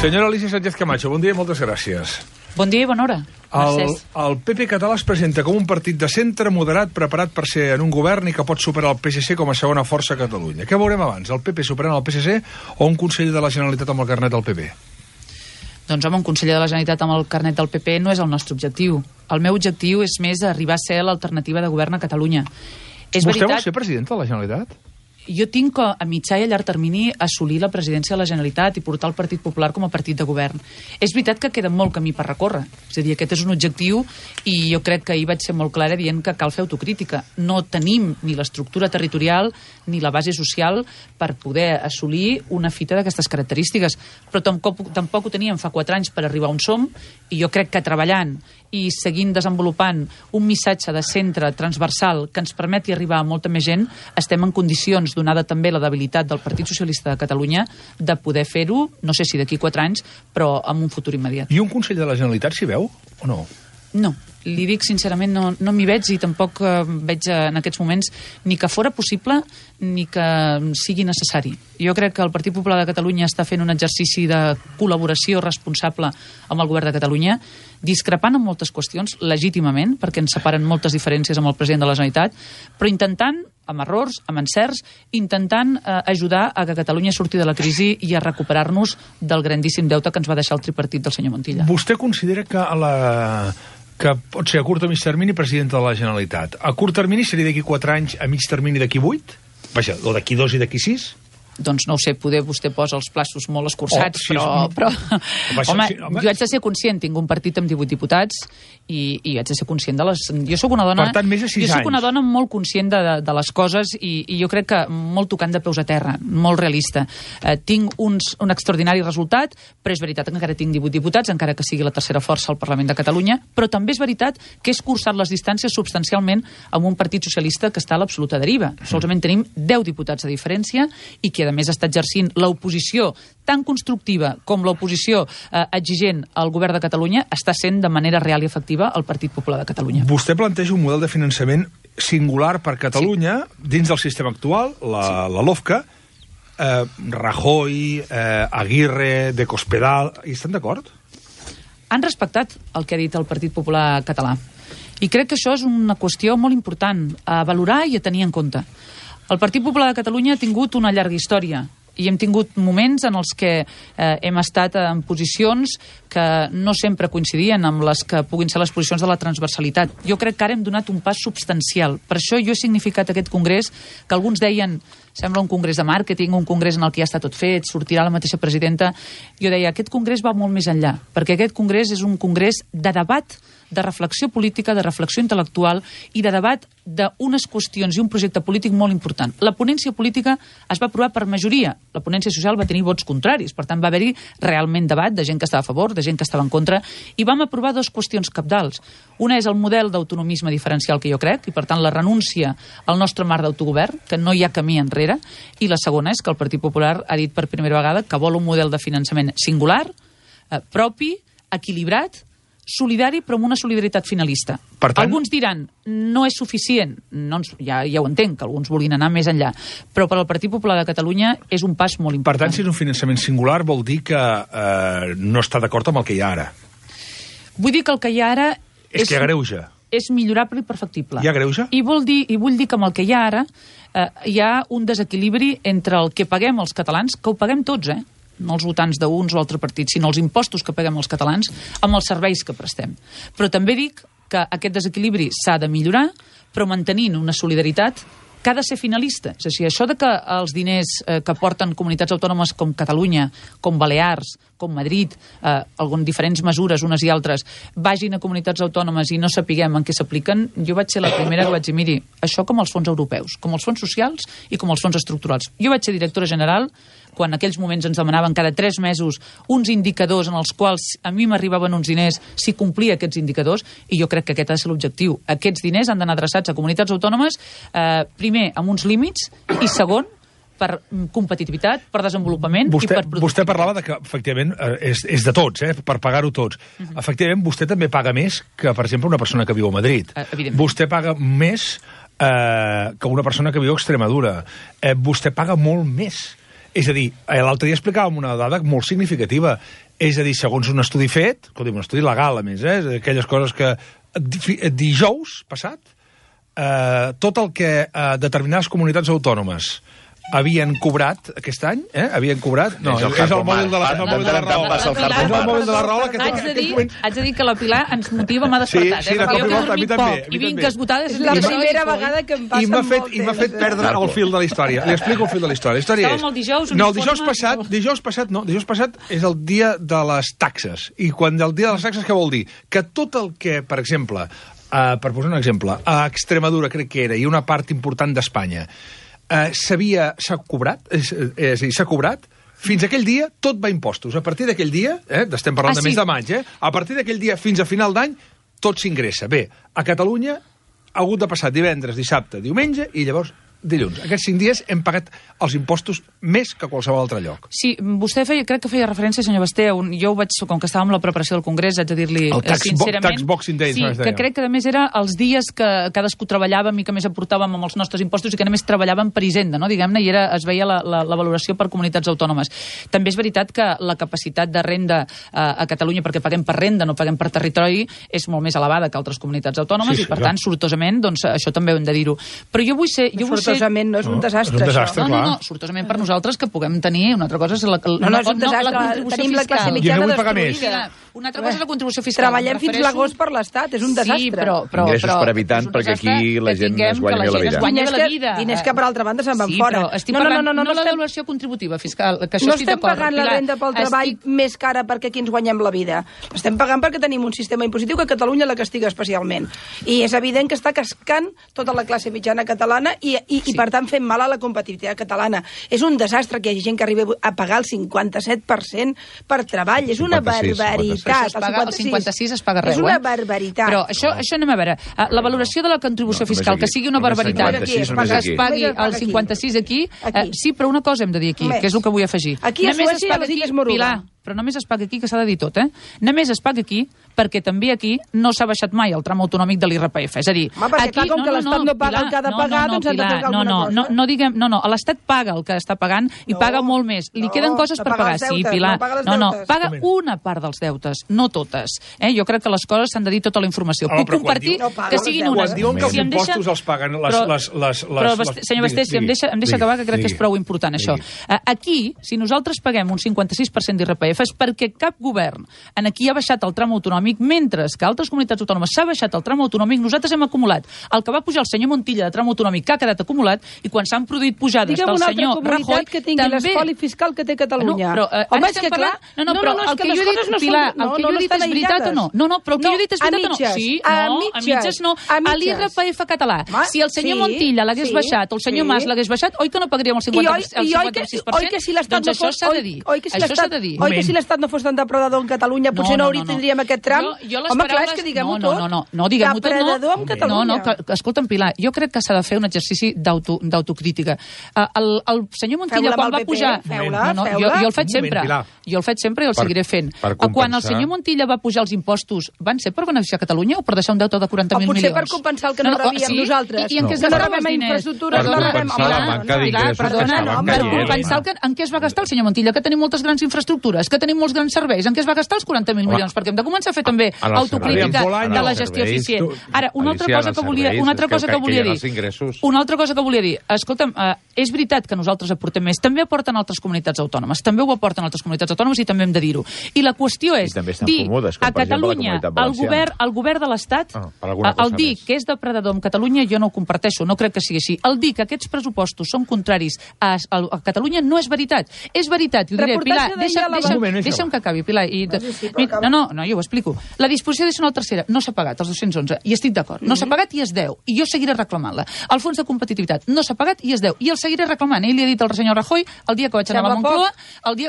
Senyora Alicia Sánchez Camacho, bon dia i moltes gràcies. Bon dia i bona hora. El PP català es presenta com un partit de centre moderat preparat per ser en un govern i que pot superar el PSC com a segona força a Catalunya. Què veurem abans, el PP superant el PSC o un conseller de la Generalitat amb el carnet del PP? Doncs home, un conseller de la Generalitat amb el carnet del PP no és el nostre objectiu. El meu objectiu és més arribar a ser l'alternativa de govern a Catalunya. Vostè vol ser president de la Generalitat? Jo tinc a mitjà i a llarg termini assolir la presidència de la Generalitat i portar el Partit Popular com a partit de govern. És veritat que queda molt camí per recórrer. És a dir, aquest és un objectiu i jo crec que ahir vaig ser molt clara dient que cal fer autocrítica. No tenim ni l'estructura territorial ni la base social per poder assolir una fita d'aquestes característiques. Però tampoc ho teníem fa 4 anys per arribar on som i jo crec que treballant i seguint desenvolupant un missatge de centre transversal que ens permeti arribar a molta més gent, estem en condicions, donada també la debilitat del Partit Socialista de Catalunya, de poder fer-ho, no sé si d'aquí 4 anys, però en un futur immediat. I un conseller de la Generalitat s'hi veu o no? No, li dic sincerament, no m'hi veig i tampoc veig en aquests moments ni que fora possible ni que sigui necessari. Jo crec que el Partit Popular de Catalunya està fent un exercici de col·laboració responsable amb el govern de Catalunya, discrepant en moltes qüestions, legítimament, perquè ens separen moltes diferències amb el president de la Generalitat, però intentant, amb errors, amb encerts, intentant ajudar a que Catalunya surti de la crisi i a recuperar-nos del grandíssim deute que ens va deixar el tripartit del senyor Montilla. Vostè considera que pot ser a curt o mig termini presidenta de la Generalitat. A curt termini seria d'aquí 4 anys, a mig termini d'aquí 8? Vaja, o d'aquí 2 i d'aquí 6? Doncs no ho sé, poder vostè posa els plaços molt escurçats, però home, jo haig de ser conscient, tinc un partit amb 18 diputats i haig de ser conscient de les... Jo sóc una dona... Per tant, més de 6 anys. Jo sóc una dona molt conscient de les coses i jo crec que molt tocant de peus a terra, molt realista. Tinc un extraordinari resultat, però és veritat que encara tinc 18 diputats, encara que sigui la tercera força al Parlament de Catalunya, però també és veritat que he escurçat les distàncies substancialment amb un partit socialista que està a l'absoluta deriva. Solament tenim 10 diputats de diferència i que a més està exercint l'oposició tan constructiva com l'oposició exigent al govern de Catalunya està sent de manera real i efectiva el Partit Popular de Catalunya. Vostè planteja un model de finançament singular per Catalunya dins del sistema actual, la LOFCA, Rajoy, Aguirre, de Cospedal, hi estan d'acord? Han respectat el que ha dit el Partit Popular català i crec que això és una qüestió molt important a valorar i a tenir en compte. El Partit Popular de Catalunya ha tingut una llarga història i hem tingut moments en els que hem estat en posicions que no sempre coincidien amb les que puguin ser les posicions de la transversalitat. Jo crec que ara hem donat un pas substancial. Per això jo he significat aquest congrés que alguns deien sembla un congrés de màrqueting, un congrés en el que ja està tot fet, sortirà la mateixa presidenta. Jo deia, aquest congrés va molt més enllà, perquè aquest congrés és un congrés de debat, de reflexió política, de reflexió intel·lectual i de debat d'unes qüestions i un projecte polític molt important. La ponència política es va aprovar per majoria. La ponència social va tenir vots contraris. Per tant, va haver-hi realment debat de gent que estava a favor, de gent que estava en contra, i vam aprovar 2 qüestions cabdals. Una és el model d'autonomisme diferencial que jo crec, i per tant la renúncia al nostre marc d'autogovern, que no hi ha camí enrere, i la segona és que el Partit Popular ha dit per primera vegada que vol un model de finançament singular, propi, equilibrat, solidari, però amb una solidaritat finalista. Per tant, alguns diran, no és suficient, ja ho entenc, que alguns vulguin anar més enllà, però per al Partit Popular de Catalunya és un pas molt important. Per tant, si és un finançament singular, vol dir que no està d'acord amb el que hi ha ara. Vull dir que el que hi ha ara és que agreuja. És millorable i perfectible. Hi ha greuja? I vull dir que amb el que hi ha ara hi ha un desequilibri entre el que paguem els catalans, que ho paguem tots, no els votants d'uns o altres partits, sinó els impostos que paguem els catalans amb els serveis que prestem. Però també dic que aquest desequilibri s'ha de millorar, però mantenint una solidaritat que ha de ser finalista. És a dir, això de que els diners que porten comunitats autònomes com Catalunya, com Balears, com Madrid, algunes diferents mesures, unes i altres, vagin a comunitats autònomes i no sapiguem en què s'apliquen, jo vaig ser la primera que vaig dir, miri, això com els fons europeus, com els fons socials i com els fons estructurals. Jo vaig ser directora general quan en aquells moments ens demanaven cada 3 mesos uns indicadors en els quals a mi m'arribaven uns diners si complia aquests indicadors, i jo crec que aquest ha de ser l'objectiu. Aquests diners han d'anar adreçats a comunitats autònomes, primer amb uns límits i segon per competitivitat, per desenvolupament i per productivitat. Vostè parlava de que, efectivament, és de tots, per pagar-ho tots. Efectivament, vostè també paga més que, per exemple, una persona que viu a Madrid. Vostè paga més que una persona que viu a Extremadura. Vostè paga molt més. És a dir, l'altre dia explicàvem una dada molt significativa. És a dir, segons un estudi fet, un estudi legal, a més, aquelles coses que dijous passat, tot el que determinades comunitats autònomes havien cobrat aquest any, havien cobrat... No, és el mòbil de la Rahola. És el mòbil de la Rahola que... Haig de dir que la Pilar ens motiva, m'ha despertat. Sí, perquè jo he dormit poc i vinc esgotada. És la primera vegada que em passa molt temps. I m'ha fet perdre el fil de la història. Li explico el fil de la història. La història és... Estàvem el dijous... No, el dijous passat és el dia de les taxes. I quan el dia de les taxes, què vol dir? Que tot el que, per exemple, per posar un exemple, a Extremadura, crec que era, i una part important d'Espanya, s'ha cobrat, és a dir, s'ha cobrat, fins aquell dia tot va a impostos. A partir d'aquell dia, estem parlant de mes de maig, a partir d'aquell dia fins a final d'any, tot s'ingressa. Bé, a Catalunya ha hagut de passar divendres, dissabte, diumenge i llavors dilluns. Aquests 5 dies hem pagat els impostos més que qualsevol altre lloc. Sí, vostè crec que feia referència, senyor Basté, jo ho vaig, com que estàvem a la preparació del Congrés, haig de dir-li sincerament... Tax Boxing Day. Sí, que crec que a més era els dies que cadascú treballàvem i que més aportàvem amb els nostres impostos i que només treballàvem per Hisenda, no? Diguem-ne, i es veia la valoració per comunitats autònomes. També és veritat que la capacitat de renda a Catalunya, perquè paguem per renda, no paguem per territori, és molt més elevada que altres comunitats autònomes i, per tant, sortosament, doncs, això també ho hem de dir-ho. Però jo vull ser... Sortosament no és un desastre, això. No, sortosament per nosaltres que puguem tenir una altra cosa és la contribució tenim la classe mitjana destruïda. Una altra cosa és la contribució fiscal. Treballem fins l'agost per l'Estat, és un desastre. Sí, però ingressos per habitant, perquè aquí la gent es guanya la vida. Diners que per altra banda se'n van fora. No la devaluació contributiva fiscal, que això estic d'acord. No estem pagant la renda pel treball més cara perquè aquí ens guanyem la vida. Estem pagant perquè tenim un sistema impositiu que Catalunya la castiga especialment. I és evident que està cascant tota la classe mitjana catalana i per tant fent mal a la competitivitat catalana. És un desastre que hi hagi gent que arribi a pagar el 57% per treball. És una barbaritat. El 56 es paga arreu. És una barbaritat. Però això anem a veure. La valoració de la contribució fiscal, que sigui una barbaritat, que es pagui el 56 aquí, sí, però una cosa hem de dir aquí, que és el que vull afegir. Aquí a Suècia les Illes Moruga. Però només es paga aquí, que s'ha de dir tot, Només es paga aquí perquè també aquí no s'ha baixat mai el tram autonòmic de l'IRPF. És a dir, aquí, com que l'Estat no paga el que ha de pagar, doncs hem de pagar alguna cosa. No diguem, l'Estat paga el que està pagant i paga molt més. Li queden coses per pagar. Sí, Pilar. Paga una part dels deutes, no totes. Jo crec que les coses s'han de dir tota la informació. Puc compartir que siguin unes. Quan diuen que els impostos els paguen les... Però, senyor Basté, si em deixa acabar, que crec que és prou important, això. Aquí, si nosaltres paguem un 56% d'IRPF, és perquè cap govern en aquí ha baixat el tram autonòmic, mentre que altres comunitats autònomes s'ha baixat el tram autonòmic, nosaltres hem acumulat el que va pujar el senyor Montilla de tram autonòmic, que ha quedat acumulat, i quan s'han produït pujades del senyor Rajoy, que tingui l'espoli fiscal que té Catalunya. Home, és que clar... No, però el que jo he dit, Pilar, el que jo he dit és veritat o no? No, però el que jo he dit és veritat o no? Sí, a mitges no. A l'IRPF català. Si el senyor Montilla l'hagués baixat, o el senyor Mas l'hagués baixat, oi que no pagaríem el 56%? Doncs això s'ha de dir. Això s'ha de dir. Si l'Estat no fos tan depredador en Catalunya, potser no tindríem aquest tram. Home, clar, és que diguem-ho tot. No, diguem-ho tot, no. Depredador en Catalunya. Escolta'm, Pilar, jo crec que s'ha de fer un exercici d'autocrítica. El senyor Montilla, quan va pujar... Jo el faig sempre. Jo el faig sempre i el seguiré fent. Quan el senyor Montilla va pujar els impostos, van ser per beneficiar Catalunya o per deixar un deute de 40.000 milions? O potser per compensar el que no rebíem nosaltres. I en què es gastaven els diners? Per compensar en què es va gastar el senyor Montilla, que tenim moltes grans infraestructures, que tenim molts grans serveis, en què es va gastar els 40.000 milions? Perquè hem de començar a fer també autocrítica de la gestió eficient. Ara, una altra cosa que volia dir. Escolta'm, és veritat que nosaltres aportem més, també aporten altres comunitats autònomes, també ho aporten altres comunitats autònomes i també hem de dir-ho. I la qüestió és dir a Catalunya, el govern de l'Estat, el dir que és depredador amb Catalunya, jo no ho comparteixo, no crec que sigui així. El dir que aquests pressupostos són contraris a Catalunya no és veritat. És veritat, i ho diré, Pilar, deixa'm que acabi, Pilar. No, jo ho explico. La disposició addicional tercera no s'ha pagat, els 211, i estic d'acord. No s'ha pagat i es deu, i jo seguiré reclamant-la. El fons de competitivitat no s'ha pagat i es deu, i el seguiré reclamant. Ell li ha dit al senyor Rajoy, el dia que vaig anar a la Moncloa,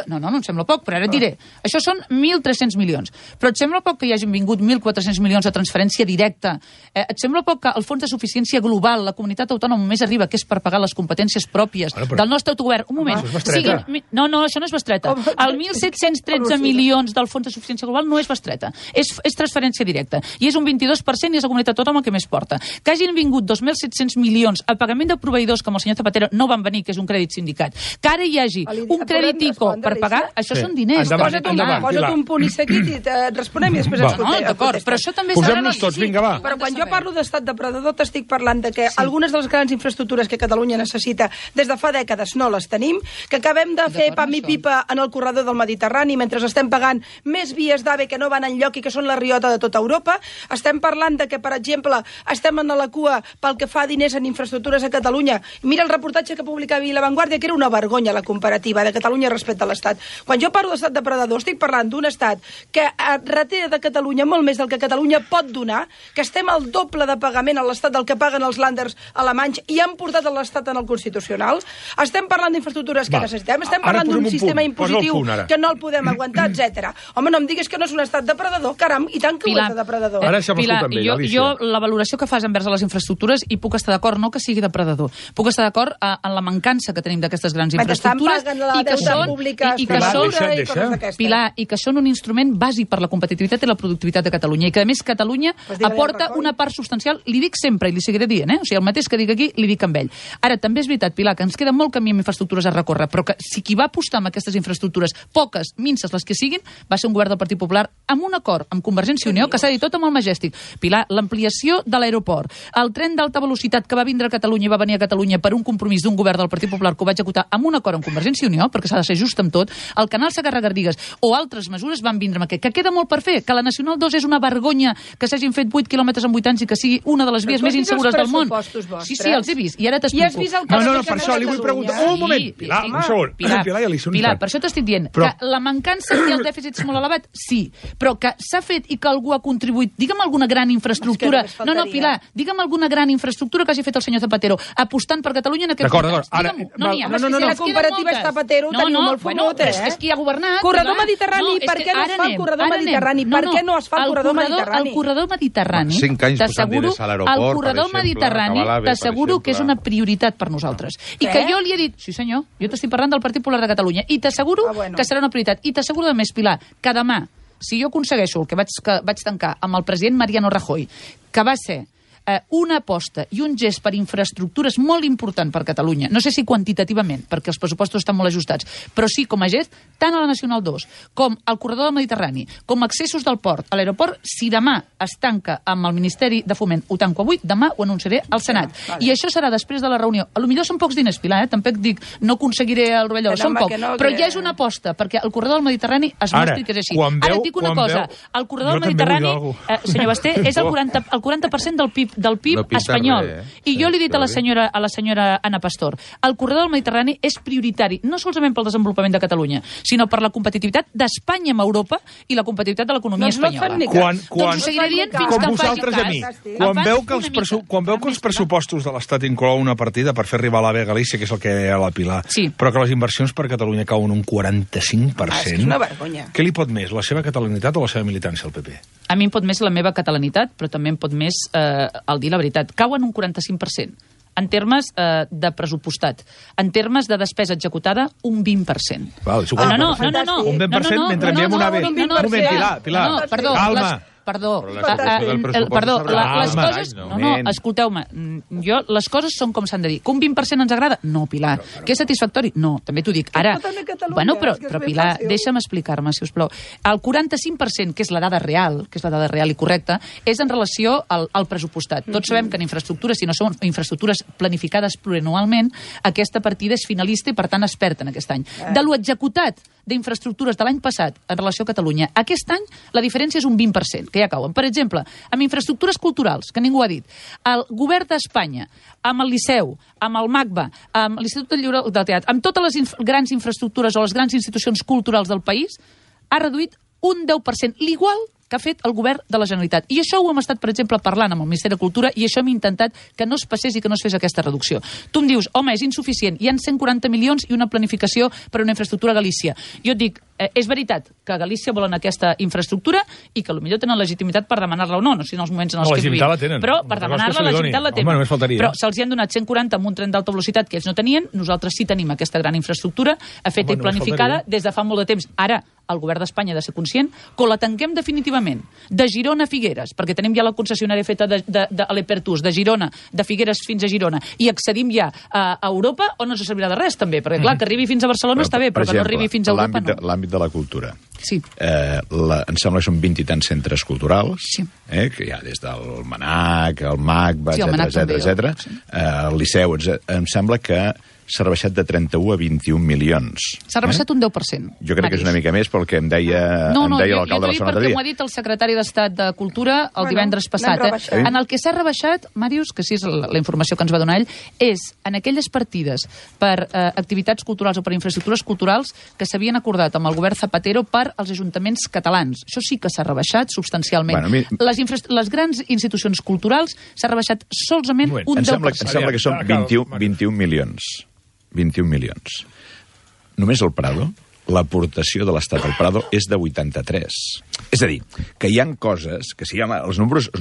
no em sembla poc, però ara et diré. Això són 1.300 milions. Però et sembla poc que hi hagin vingut 1.400 milions de transferència directa? Et sembla poc que el fons de suficiència global, la comunitat autònoma més arriba, que és per pagar les competències pròpies del nostre autogovern? Un moment. No, això no és bestreta. El 1.713 milions del fons de suficiència global no és bestreta. És transferència directa. I és un 22% i és la comunitat autònoma que més porta. Que hagin vingut 2.700 milions a pagament de proveïdors, com el senyor Zapatero, no van venir, que és un crèdit sindicat. Que ara hi hagi un crèdit ICO per pagar, això són diners. Posa't un punt i seguit i et responem i després ens contestes. No, d'acord, però això també posem-nos tots, vinga, va. Però quan jo parlo d'estat depredador t'estic parlant de que algunes de les grans infraestructures que Catalunya necessita des de fa dècades no les tenim, que acabem de fer pam i pipa en el corredor del Mediterrani mentre estem pagant més vies d'AVE que no van enlloc i que són la riota de tota Europa. Estem parlant de que, per exemple, estem en la cua pel que fa diners en infraestructures a Catalunya. Mira el reportatge que publicava La Vanguardia, que era una vergonya la comparativa de Catalunya respecte a l'Estat. Quan jo parlo d'estat depredador, estic parlant d'un estat que reté de Catalunya molt més del que Catalunya pot donar, que estem al doble de pagament a l'Estat del que paguen els lànders alemanys i han portat l'Estat en el Constitucional. Estem parlant d'infraestructures que necessitem, estem parlant d'un sistema impositiu que no el podem aguantar, etc. Home, no em diguis que no és un estat depredador, caram, i tant que ho és de depredador. Ara deixem escoltar amb ell, Alicia. Jo la valoració que fas envers les infraestructures hi puc estar d'acord, no que sigui depredador. Puc estar d'acord en la mancança que tenim d'aquestes grans infraestructures i que són un instrument bàsic per la competitivitat i la productivitat de Catalunya i que, a més, Catalunya aporta una part substancial, li dic sempre i li seguiré dient, o sigui, el mateix que dic aquí, li dic amb ell. Ara, també és veritat, Pilar, que ens queda molt camí amb infraestructures a recórrer, però que si qui va apostar amb aquestes infraestructures, poques, minces les que siguin, va ser un govern del Partit Popular amb un acord amb Convergència i Unió, que s'ha dit tot amb el Majestic. Pilar, l'ampliació de l'aeroport, el tren d'alta velocitat que va vindre a Catalunya i va venir a Catalunya per un compromís d'un govern del Partit Popular que ho va executar amb un acord amb Convergència i Unió, perquè s'ha de ser just amb tot, el canal Segarra-Garrigues o altres mesures van vindre amb aquest, que queda molt per fer, que la Nacional 2 és una vergonya que s'hagin fet 8 quilòmetres en 8 anys i que sigui una de les vies més insegures del món. Sí, els he vist, i ara t'explico. No, per això li vull preguntar. Un moment, Pilar, un segon. Pilar, per això t'estic dient que la mancança i el dèficit és molt elevat, sí, però que s'ha fet i que algú ha contribuït, digue'm alguna gran infraestructura, Pilar, digue'm alguna gran infraestructura que hagi fet el senyor Zapatero apostant per Catalunya en aquest moment. No n'hi ha. Si la comparativa és Zapatero, tenim molt fumut, és qui ha governat. Corredor Mediterrani, per què no es fa el corredor Mediterrani? Per què no es fa el corredor Mediterrani? El corredor Mediterrani, 5 anys posant diners a l'aeroport, el corredor Mediterrani, t'asseguro que és una prioritat per nosaltres. I que jo li he dit, sí senyor, jo t'estic parlant del Partit Popular de Catalunya, i t'asseguro que serà una prioritat. I t'asseguro de més, Pilar, que demà, si jo aconsegueixo el que vaig tancar amb el president Mariano Rajoy, que va ser una aposta i un gest per infraestructures molt important per Catalunya, no sé si quantitativament, perquè els pressupostos estan molt ajustats, però sí com a gest, tant a la Nacional 2 com al corredor del Mediterrani, com accessos del port a l'aeroport, si demà es tanca amb el Ministeri de Foment, ho tanco avui, demà ho anunciaré al Senat. I això serà després de la reunió. A lo millor són pocs diners, Pilar, tampoc dic, no aconseguiré el rovelló, són pocs, però ja és una aposta, perquè el corredor del Mediterrani es mostri que és així. Ara et dic una cosa, el corredor del Mediterrani, senyor Basté, és el 40% del PIB espanyol. I jo li he dit a la senyora Ana Pastor, el corredor del Mediterrani és prioritari, no solament pel desenvolupament de Catalunya, sinó per la competitivitat d'Espanya amb Europa i la competitivitat de l'economia espanyola. Doncs ho seguiré dient fins que em faci cas. Quan veu que els pressupostos de l'Estat inclou una partida per fer arribar l'AVE a Galícia, que és el que deia la Pilar, però que les inversions per Catalunya cauen un 45%, és una vergonya. Què li pot més, la seva catalanitat o la seva militància al PP? A mi em pot més la meva catalanitat, però també em pot més el dir la veritat. Cauen un 45%. En termes de pressupostat. En termes de despesa executada, un 20%. No. Un 20% mentre enviem una AVE. Un moment, Pilar. Calma. Perdó, les coses... No, escolteu-me, les coses són com s'han de dir. Que un 20% ens agrada? No, Pilar. Que és satisfactori? No, també t'ho dic. Ara, bueno, però Pilar, deixa'm explicar-me, si us plau. El 45%, que és la dada real, i correcta, és en relació al pressupostat. Tots sabem que en infraestructures, si no són infraestructures planificades plurianualment, aquesta partida és finalista i, per tant, es perd en aquest any. De lo executat d'infraestructures de l'any passat en relació a Catalunya, aquest any la diferència és un 20%, que ja cauen. Per exemple, amb infraestructures culturals, que ningú ha dit, el govern d'Espanya, amb el Liceu, amb el MACBA, amb l'Institut del Lliure del Teatre, amb totes les grans infraestructures o les grans institucions culturals del país, ha reduït un 10%, l'igual que ha fet el govern de la Generalitat. I això ho hem estat, per exemple, parlant amb el Ministeri de Cultura i això hem intentat que no es passés i que no es fes aquesta reducció. Tu em dius, home, és insuficient, hi ha 140 milions i una planificació per a una infraestructura a Galícia. Jo et dic, és veritat que a Galícia volen aquesta infraestructura i que potser tenen legitimitat per demanar-la o no, no sé en els moments en els que vivim. Però per demanar-la, la legitimitat la tenen. Però se'ls hi han donat 140 amb un tren d'alta velocitat que ells no tenien, nosaltres sí tenim aquesta gran infraestructura, feta i planificada des de fa molt de temps. Ara, el govern d'Espanya ha de ser conscient que o la tanquem definitivament exclusivament de Girona a Figueres, perquè tenim ja la concessionària feta de l'Epertús, de Girona, de Figueres fins a Girona, i accedim ja a Europa, o no ens servirà de res, també? Perquè, clar, que arribi fins a Barcelona està bé, però que no arribi fins a Europa, no. L'àmbit de la cultura. Sí. Em sembla que són 20 i tants centres culturals, que hi ha des del MANAC, el MAC, etc. El Liceu, em sembla que s'ha rebaixat de 31 a 21 milions. S'ha rebaixat un 10%. Jo crec que és una mica més pel que em deia l'alcalde de la zona de perquè m'ho ha dit el secretari d'Estat de Cultura el divendres passat. En el que s'ha rebaixat, Màrius, que sí és la informació que ens va donar ell, és en aquelles partides per activitats culturals o per infraestructures culturals que s'havien acordat amb el govern Zapatero per als ajuntaments catalans. Això sí que s'ha rebaixat substancialment. Les grans institucions culturals s'ha rebaixat solament un 10%. Em sembla que són 21 milions. 21 milions. Només el Prado, l'aportació de l'Estat al Prado és de 83. És a dir, que hi ha coses que sí, home, els números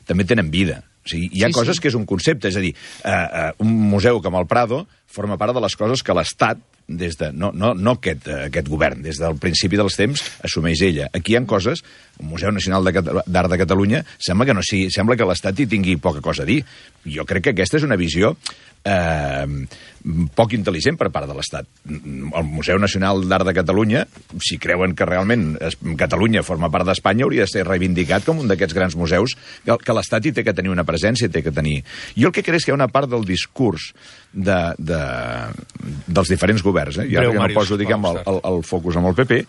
també tenen vida. O sigui, hi ha coses que és un concepte, és a dir, un museu com el Prado forma part de les coses que l'Estat, no aquest govern, des del principi dels temps, assumeix ella. Aquí hi ha coses, el Museu Nacional d'Art de Catalunya, sembla que l'Estat hi tingui poca cosa a dir. Jo crec que aquesta és una visió poc intel·ligent per part de l'Estat. El Museu Nacional d'Art de Catalunya, si creuen que realment Catalunya forma part d'Espanya, hauria de ser reivindicat com un d'aquests grans museus que l'Estat hi té que tenir una presència, té que tenir. Jo el que crec és que hi ha una part del discurs dels diferents governs, i ara que no poso, diguem, el focus amb el PP,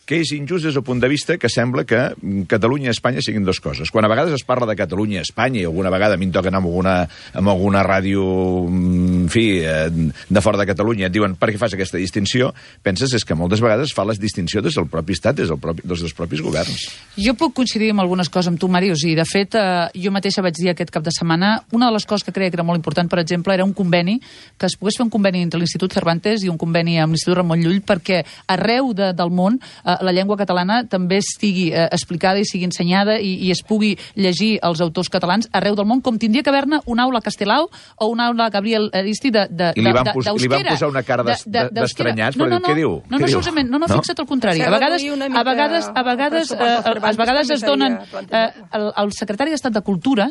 que és injust des del punt de vista que sembla que Catalunya i Espanya siguin dues coses. Quan a vegades es parla de Catalunya i Espanya, i alguna vegada a mi em toca anar amb alguna ràdio, en fi, de fora de Catalunya, et diuen, per què fas aquesta distinció? Penses és que moltes vegades fa la distinció des del propi estat, des dels propis governs. Jo puc coincidir amb algunes coses amb tu, Màrius, i de fet jo mateixa vaig dir aquest cap de setmana, una de les coses que creia que era molt important, per exemple, era un conveni, que es pogués fer un conveni entre l'Institut Cervantes i un conveni amb l'Institut Ramon Llull, perquè arreu del món la llengua catalana també estigui explicada i sigui ensenyada i es pugui llegir els autors catalans arreu del món, com tindria que haver-ne una aula Castelao o una aula Gabriel Aristi d'Euskera. I li van posar una cara d'estranyats, però què diu? No, fixa't al contrari. A vegades es donen... El secretari d'Estat de Cultura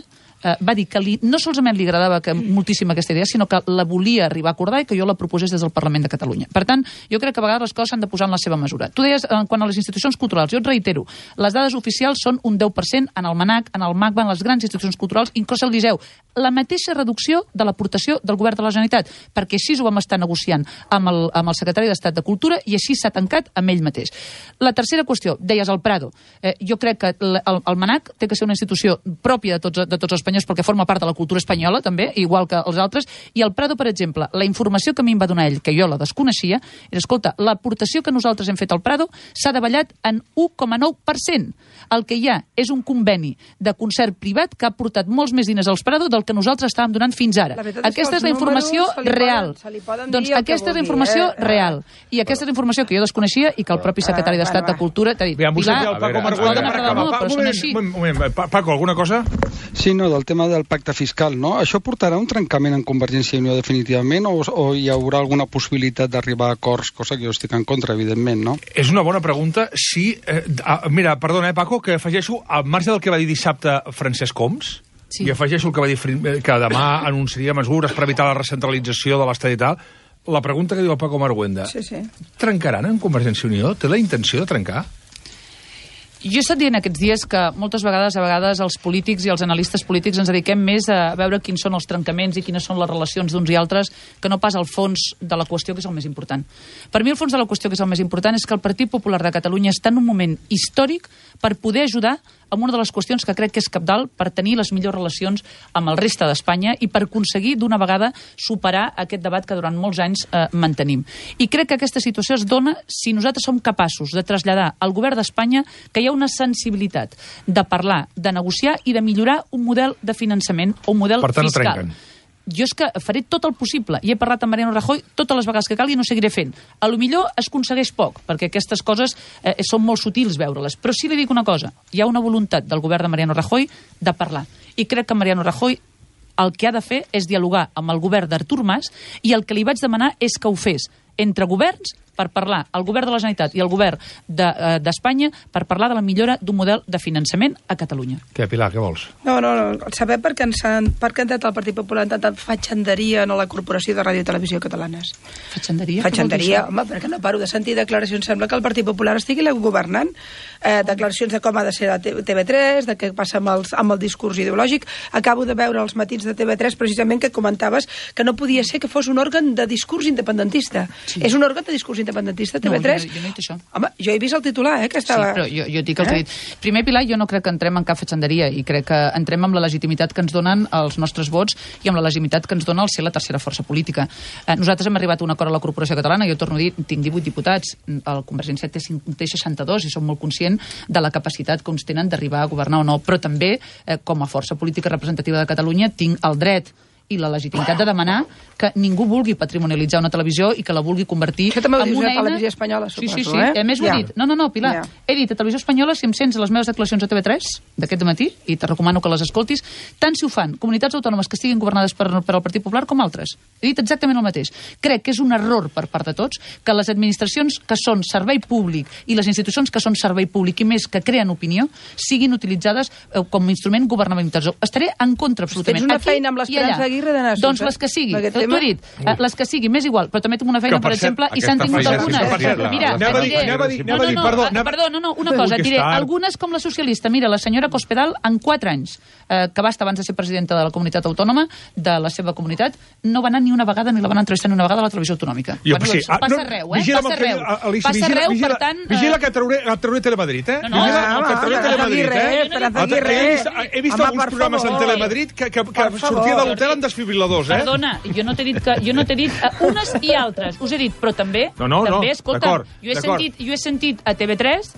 va dir que no solament li agradava moltíssim aquesta idea, sinó que la volia arribar a acordar i que jo la proposés des del Parlament de Catalunya. Per tant, jo crec que a vegades les coses s'han de posar en la seva mesura. Tu deies, quan a les institucions culturals, jo et reitero, les dades oficials són un 10% en el MANAC, en el MACBA, en les grans institucions culturals, inclús el Liceu. La mateixa reducció de l'aportació del govern de la Generalitat, perquè així ho vam estar negociant amb el secretari d'Estat de Cultura i així s'ha tancat amb ell mateix. La tercera qüestió, deies el Prado. Jo crec que el MANAC té que ser una institució pròpia de tots els espanyols perquè forma part de la cultura espanyola, també, igual que els altres, i el Prado, per exemple, la informació que a mi em va donar ell, que jo la desconeixia, és, escolta, l'aportació que nosaltres hem fet al Prado s'ha davallat en 1,9%. El que hi ha és un conveni de concert privat que ha portat molts més diners als Prado del que nosaltres estàvem donant fins ara. Aquesta és la informació real. Doncs aquesta és la informació real. I aquesta és la informació que jo desconeixia i que el propi secretari d'Estat de Cultura t'ha dit. Paco, alguna cosa? Sí, no, del tema del pacte fiscal, no? Això portarà un trencament en Convergència i Unió definitivament o hi haurà alguna possibilitat d'arribar a acords, cosa que jo estic en contra, evidentment, no? És una bona pregunta. Sí, mira, perdona, Paco, que afegeixo, al marge del que va dir dissabte Francesc Homs, i afegeixo el que va dir que demà anunciaria mesures per evitar la recentralització de l'Estat i tal, la pregunta que diu el Paco Marguenda, trencaran en Convergència i Unió? Té la intenció de trencar? Jo he estat dient aquests dies que moltes vegades, els polítics i els analistes polítics ens dediquem més a veure quins són els trencaments i quines són les relacions d'uns i altres que no pas al fons de la qüestió, que és el més important. Per mi el fons de la qüestió, que és el més important, és que el Partit Popular de Catalunya està en un moment històric per poder ajudar amb una de les qüestions que crec que és cabdal per tenir les millors relacions amb el reste d'Espanya i per aconseguir d'una vegada superar aquest debat que durant molts anys mantenim. I crec que aquesta situació es dona si nosaltres som capaços de traslladar al govern d'Espanya que hi ha una sensibilitat de parlar, de negociar i de millorar un model de finançament o un model fiscal. No trenquen. Jo és que faré tot el possible, i he parlat amb Mariano Rajoy totes les vegades que calgui i no seguiré fent. A lo millor es aconsegueix poc, perquè aquestes coses són molt sutils veure-les, però sí li dic una cosa, hi ha una voluntat del govern de Mariano Rajoy de parlar, i crec que Mariano Rajoy el que ha de fer és dialogar amb el govern d'Artur Mas, i el que li vaig demanar és que ho fes entre governs per parlar, el govern de la Generalitat i el govern d'Espanya, per parlar de la millora d'un model de finançament a Catalunya. Què, Pilar, què vols? No, saber per què ha entrat el Partit Popular en tanta fatxanderia en la Corporació de Ràdio i Televisió Catalanes. Fatxanderia? Fatxanderia, home, perquè no paro de sentir declaracions. Sembla que el Partit Popular estigui governant. Declaracions de com ha de ser la TV3, de què passa amb el discurs ideològic. Acabo de veure els matins de TV3 precisament que comentaves que no podia ser que fos un òrgan de discurs independentista. Sí. És un òrgan de discurs independentista, TV3? No, jo no he dit això. Home, jo he vist el titular, que estava... Sí, però jo dic el que he dit. Primer, Pilar, jo no crec que entrem en cap fatxanderia i crec que entrem amb la legitimitat que ens donen els nostres vots i amb la legitimitat que ens dona el ser la tercera força política. Nosaltres hem arribat a un acord a la Corporació Catalana, jo torno a dir, tinc 18 diputats, el Convergència té 62 i som molt conscient de la capacitat que uns tenen d'arribar a governar o no, però també, com a força política representativa de Catalunya, tinc el dret i la legitimitat de demanar que ningú vulgui patrimonialitzar una televisió i que la vulgui convertir en una eina... Televisió Espanyola, suposo, sí. A més ho he dit. No, Pilar. He dit a Televisió Espanyola, si em sents les meves declaracions a TV3 d'aquest matí, i te recomano que les escoltis, tant si ho fan comunitats autònomes que estiguin governades per al Partit Popular com altres. He dit exactament el mateix. Crec que és un error per part de tots que les administracions que són servei públic i les institucions que són servei públic i més que creen opinió siguin utilitzades com a instrument governamental. Estaré en contra absolutament. Tens una feina amb l'Esperança Aguirre d'anar a doncs les que sigui, t'ho he dit, les que sigui, m'és igual, però també tinc una feina, per exemple, i s'han tingut algunes. Mira, una cosa, diré, algunes com la socialista, mira, la senyora Cospedal, en 4 anys, que va estar abans de ser presidenta de la comunitat autònoma, de la seva comunitat, no va anar ni una vegada, ni la van entrevistar ni una vegada a la televisió autonòmica. Passa arreu, Passa arreu, per tant... Vigila que et trauré Telemadrid, eh? He vist alguns programes en Telemadrid que sortia de l'hotel amb desfibriladors, eh? Perdona, jo no t'he dit unes i altres. Us he dit, però també, escolta, jo he sentit a TV3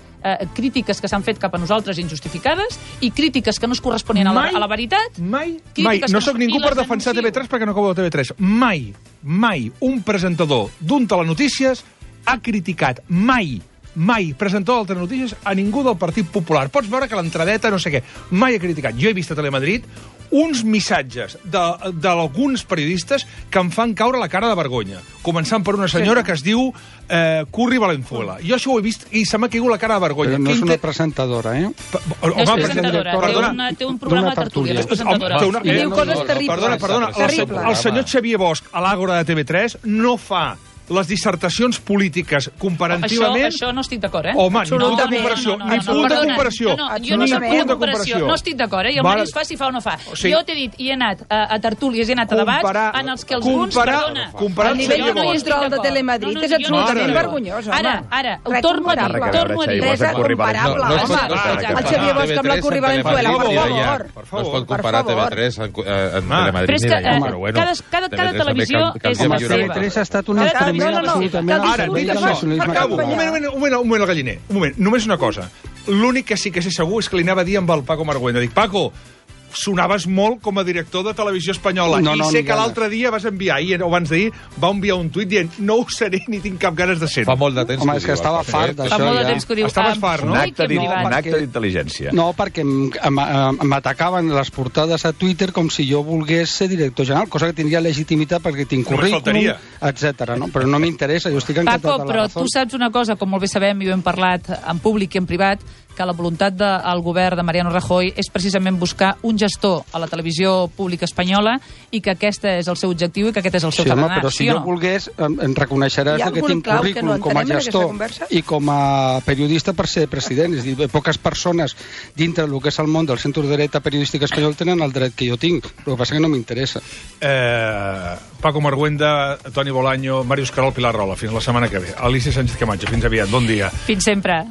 crítiques que s'han fet cap a nosaltres injustificades i crítiques que no es corresponien a la veritat. Mai. No sóc ningú per defensar TV3 perquè no acabo de TV3. Mai un presentador d'un telenotícies ha criticat mai presentador del Telenotícies a ningú del Partit Popular. Pots veure que l'entradeta no sé què. Mai ha criticat. Jo he vist a Telemadrid uns missatges d'alguns periodistes que em fan caure la cara de vergonya. Començant per una senyora que es diu Curri Valenzuela. Jo això ho he vist i se m'ha caigut la cara de vergonya. Però no és una presentadora, eh? No és presentadora, té un programa de tertúlia. I diu coses terribles. Perdona, el senyor Xavier Bosch a l'Àgora de TV3 no fa les dissertacions polítiques comparativament... Això no estic d'acord, eh? Home, ni punt de comparació. Ni punt de comparació. Jo no soc punt de comparació. No estic d'acord, eh? I el Màrius fa si fa o no fa. Jo t'he dit, i he anat a tertúlies, i he anat a debats en els que alguns... El nivell de control de Telemadrid és absolutament vergonyós, home. Ara, ho torno a dir. És comparable, home. El Xavier Bosch amb la Curri Valenzuela, per favor. No es pot comparar TV3 amb Telemadrid ni d'allà. Cada televisió és la seva. TV3 ha estat un instrument absolutament... Ara, dit això, acabo. Un moment, el galliner. Un moment, només una cosa. L'únic que sí que sé segur és que li anava a dir amb el Paco Marguenda. Dic, Paco, sonaves molt com a director de Televisió Espanyola i sé que l'altre dia vas enviar, o abans d'ahir, va enviar un tuit dient no ho seré ni tinc cap ganes de ser-ho. Fa molt de temps. Home, és que estava fart d'això. Fa molt de temps que ho diu. Estaves fart, no? Un acte d'intel·ligència. No, perquè m'atacaven les portades a Twitter com si jo volgués ser director general, cosa que tindria legitimitat perquè tinc currículum, etc. No? Però no m'interessa, jo estic encantat Paco, però tu saps una cosa, com molt bé sabem i ho hem parlat en públic i en privat, que la voluntat del govern de Mariano Rajoy és precisament buscar un gestor a la televisió pública espanyola i que aquest és el seu objectiu i que aquest és el seu tarannà. Però si jo volgués, em reconeixeràs que tinc currículum com a gestor i com a periodista per ser president. És a dir, poques persones dintre del que és el món del centre dreta periodística espanyol tenen el dret que jo tinc. El que passa que no m'interessa. Paco Marguenda, Toni Bolaño, Màrius Carol, Pilar Rola. Fins la setmana que ve. Alicia Sánchez Camacho, fins aviat. Bon dia. Fins sempre.